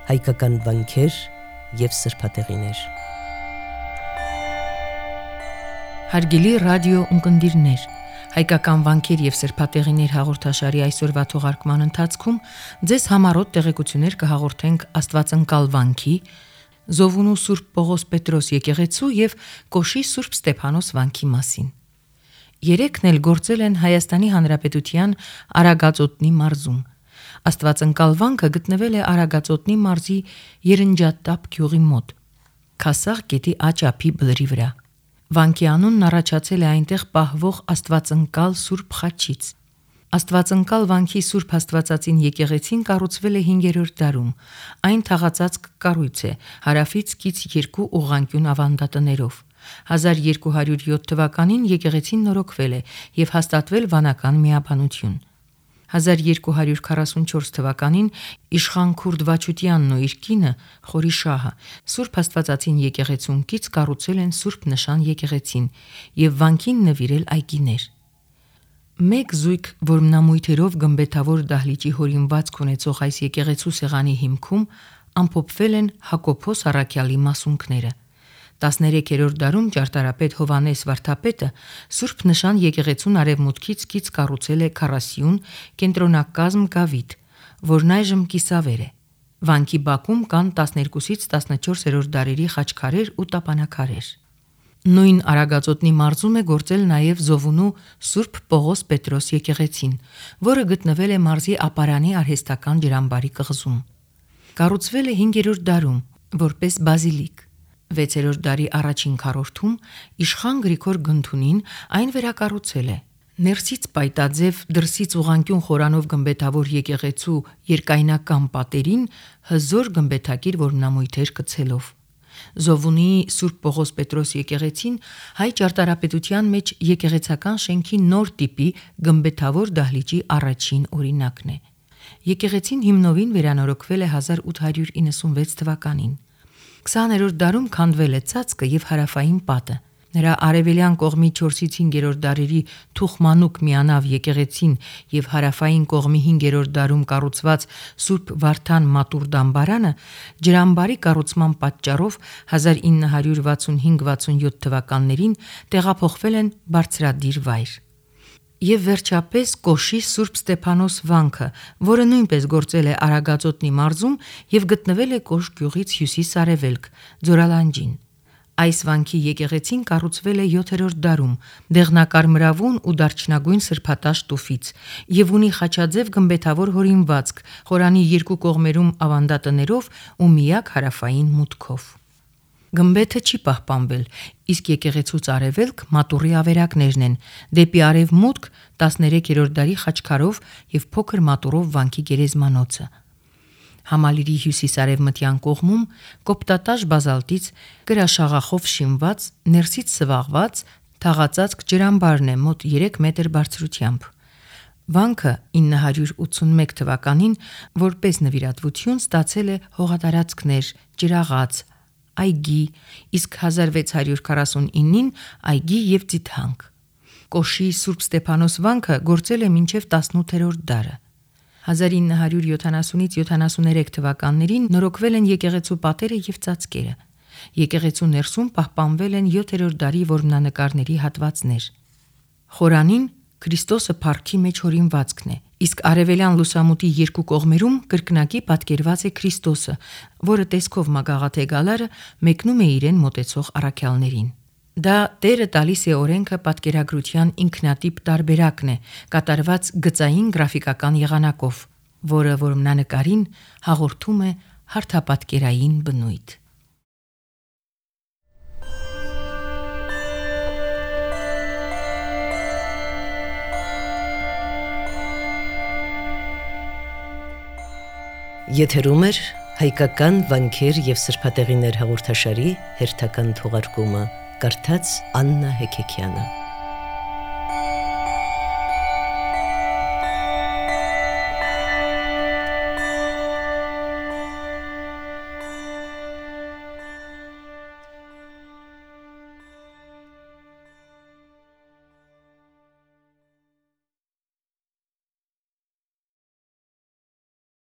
հայկական վանքեր և սրբատեղիներ։ Հարգելի ռադիո ունկնդիրներ, հայկական վանքեր և սրբատեղիներ հաղորդաշարի այսօրվա թողարկման ընթացքում ձեզ համառոտ տեղեկություններ կհաղորդենք Աստվածընկալ վանքի, Զովունու Սուրբ Պողոս Պետրոս եկեղեցու և Կոշի Սուրբ Ստեփանոս վանքի մասին։ Երեքն էլ գործել են Հայաստանի Հանրապետության Արագածոտնի մարզում։ Աստվածընկալ վանքը գտնվել է Արագածոտնի մարզի Երնջատապ գյուղի մոտ, Քասաղ գետի աճափի բլրի վրա։ Վանքի անունն առաջացել է այնտեղ պահվող Աստվածընկալ Սուրբ խաչից։ Աստվածընկալ վանքի Սուրբ Աստվածածին եկեղեցին կառուցվել է 5-րդ դարում։ Այն թաղածածկ կառույց է, հարավից կից 2 ուղղանկյուն ավանդատներով։ 1207 թվականին եկեղեցին նորոգվել է և հաստատվել վանական միաբանություն։ 1244 թվականին իշխան Քուրդ Վաչուտյանն ու իր կինը Խորիշահը Սուրբ Աստվածածին եկեղեցուն կից կառուցել են Սուրբ Նշան եկեղեցին և վանքին նվիրել այգիներ։ Մեկ զույգ որմնամույթերով գմբեթավոր դահլիճի հորինվածք ունեցող այս եկեղեցու սեղանի հիմքում ամփոփվել են Հակոբոս առաքյալի մասունքները։ 13-րդ դարում ճարտարապետ Հովհաննես Վարդապետը Սուրբ Նշան եկեղեցուն արևմուտքից կից կառուցել է քառասյուն կենտրոնակազմ գավիթ, որն այժմ կիսավեր է։ Վանքի բակում կան 12-ից 14-րդ դարերի խաչքարեր ու տապանաքարեր։ Նույն Արագածոտնի մարզում է գործել նաև Զովունու Սուրբ Պողոս Պետրոս եկեղեցին, որը գտնվել է մարզի Ապարանի արհեստական ջրամբարի կղզում։ Կառուցվել է 5-րդ դարում որպես բազիլիկ։ 6-րդ դարի առաջին քառորդում իշխան Գրիգոր Գնթունին այն վերակառուցել է։ Ներսից պայտաձև, դրսից ուղղանկյուն խորանով գմբեթավոր եկեղեցու երկայնական պատերին հզոր գմբեթակիր որմնամույթեր կցելով։ Զովունիի Սուրբ Պողոս Պետրոս եկեղեցին հայ ճարտարապետության մեջ եկեղեցական շենքի նոր տիպի գմբեթավոր դահլիճի առաջին օրինակն է։ Եկեղեցին հիմնովին վերանորոգվել է 1896 թվականին։ 20-րդ դարում քանդվել է ծածկը և հարավային պատը։ Նրա արևելյան կողմի 4-ից 5-րդ դարերի Թուխմանուկ միանավ եկեղեցին և հարավային կողմի 5-րդ դարում կառուցված Սուրբ Վարդան մատուռ դամբարանը ջրամբարի կառուցման պատճառով 1965-67 թվականներին տեղափոխվել են բարձրադիր վայր։ Եվ վերջապես Կոշի Սուրբ Ստեփանոս վանքը, որը նույնպես գործել է Արագածոտնի մարզում և գտնվել է Կոշ գյուղից հյուսիս-արևելք, Ձորալանջին։ Այս վանքի եկեղեցին կառուցվել է 7-րդ դարում դեղնակարմրավուն ու դարչնագույն սրբատաշ տուֆից և ունի խաչաձև գմբեթավոր հորինվածք խորանի երկու կողմերում ավանդատներով ու միակ հարավային մուտքով։ Գմբեթը չի պահպանվել, իսկ եկեղեցուց արևելք մատուռի ավերակներն են, դեպի արևմուտք 13-րդ դարի խաչքարով և փոքր մատուռով վանքի գերեզմանոցը։ Համալիրի հյուսիս-արևմտյան կողմում կոպտատաշ բազալտից կրաշաղախով շինված, ներսից սվաղված թաղածածկ ջրամբարն է մոտ 3 մետր բարձրությամբ։ Վանքը 981 թվականին որպես նվիրատվություն ստացել է հողատարածքներ, ջրաղաց, այգի, իսկ 1649-ին այգի և ձիթանք։ Կոշի Սուրբ Ստեփանոս վանքը գործել է մինչև 18-րդ դարը։ 1970-ից 73 թվականներին նորոգվել են եկեղեցու պատերը և ծածկերը։ Եկեղեցու ներսում պահպանվել են 7-րդ դարի որմնանկարների հատվածներ։ Խորանին Քրիստոսը փառքի մեջ հորինվածքն է, իսկ արևելյան լուսամուտի երկու կողմերում կրկնակի պատկերված է Քրիստոսը, որը տեսքով մագաղաթե գալարը մեկնում է իրեն մոտեցող առաքյալներին։ Դա Տերը տալիս է օրենքը պատկերագրության ինքնատիպ տարբերակն է, կատարված գծային գրաֆիկական եղանակով, որը որմնանկարին հաղորդում է հարթապատկերային բնույթ։ Եթերում է հայկական վանքեր և սրբատեղիներ հաղորդաշարի հերթական թողարկումը, կարդաց Աննա Հեքեքյանը։